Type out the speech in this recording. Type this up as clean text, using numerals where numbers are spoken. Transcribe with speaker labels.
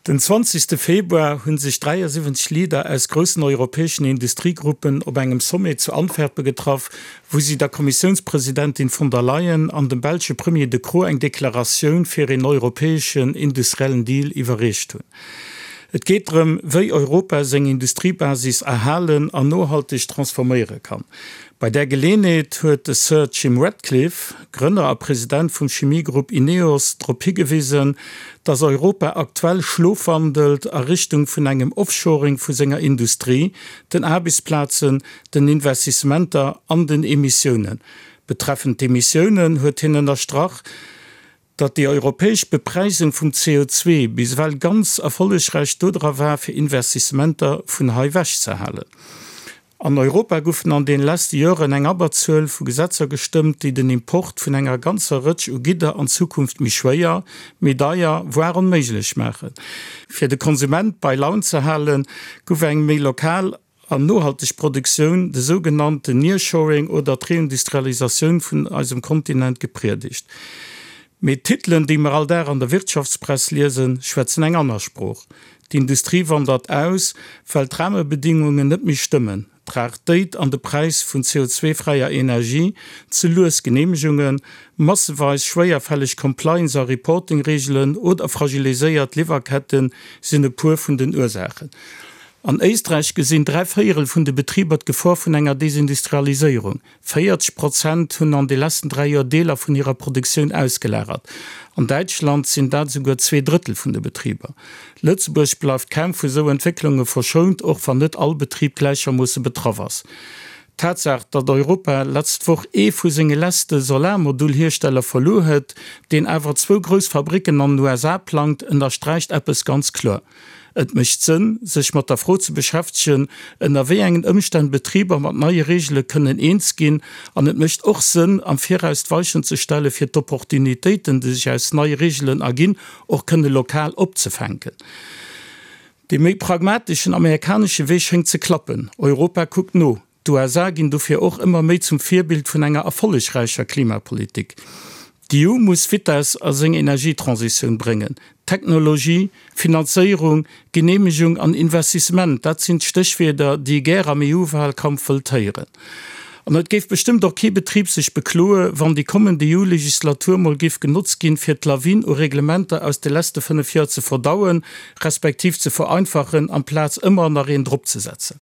Speaker 1: Den 20 Februar hu sech 73 Leader aus groussen europäeschen Industriegruppen op engem Sommet zu Antwerpen getraff, wou si der Kommissiounspresidentin von der Leyen an dem belsche Premier De Croo eng Deklaratioun fir een europäeschen industriellen Deal iwwerreecht hunn. Et geet drëm, wéi Europa seng Industriebasis erhalen an nohalteg transforméiere kann. Bei där Geleenheet huet de Sir Jim Ratcliffe, Grënner a President vum Chemiegrupp Ineos, drop higewisen, datt Europa aktuell schlofwandelt a Richtung vun engem Offshoring vu senger Industrie, den Aarbechtsplazen, den Investissementer an den Emissiounen. Betreffend d'Emissiounen huet hien ënnerstrach, datt déi europäesch Bepräisung vum CO2 bis ewell ganz erfollegräich dodra war, fir Investissementer vun hei wech ze halen. An Europa goufen an den lesste Joren eng Abberzuel vu Gesetzer gestëmmt, déi den Import vun enger ganzer Rëtsch u Gidder an Zukunft méi schwéier, méi deier, voire onméiglech maachen. Fir de Konsument bei Laun ze halen, gouf eng méi lokal an nohalteg Produktioun, de sougenannten Nearshoring oder d'Reindustrialisatioun vun eisem Kontinent gepriedegt. Mee d'Titelen, déi mer all Dag an der Wirtschaftspress liesen, schwätzen eng aner Sprooch. D'Industrie wandert aus, well d'Rahmebedingungen net méi stëmmen, d'Raretéit an de Präis vun CO2-fräier Energie, ze lues Geneemegungen, masseweis schwéierfälleg Compliance a Reporting-Reegelen oder fragiliséiert Liwwerkette sinn e puer vun den Ursaachen. An Éisträich gesinn 3 Véierel vun de Betriber d'Gefor vun enger Desindustrialiséierung. 40 Prozent hunn an de leschten 3 Joer Deeler vun hirer Produktioun ausgelagert. An Däitschland sinn dat esouguer 2 Drëttel vun de Betriber. Lëtzebuerg bleift kaum vu sou Entwécklunge verschount, och wann net all Betrib gläichermoosse betraff ass. D'Tatsaach, datt Europa letzt Woch ee vu senge lesste Solarmodulhiersteller verluer huet, deen awer zwou grouss Fabricken an den USA plangt, ënnersträicht eppes ganz kloer, Et mécht Sënn, sech mat der Fro ze beschäftegen, ënner wéi engen Ëmstänn Betriber mat neie Reegele kënnen eens ginn. An et mécht och Sënn, am Viraus d'Weichen ze stelle fir d'Opportunitéiten, déi sech aus neie Reegelen erginn, och kënne lokal opzefänken. Dee méi pragmateschen amerikanesche Wee schéngt ze klappen. Europa kuckt no. D'USA ginn dofir och ëmmer méi zum Virbild vun enger erfollegräicher Klimapolitik. D'EU muss Vitess a seng Energietransitioun bréngen. Technologie, Finanzéierung, Geneemegung an Investissement, dat sinn d'Stéchwierder, déi ee gär am EU-Wahlkampf wëllt héieren. An et géif bestëmmt och kee Betrib sech bekloe, wann déi kommend EU-Legislatur mol géif genotzt ginn, fir d'Lawin u Reglementer aus de leschte 5 Joer ze verdauen, respektiv ze vereinfachen, amplaz ëmmer nach een dropzesetzen.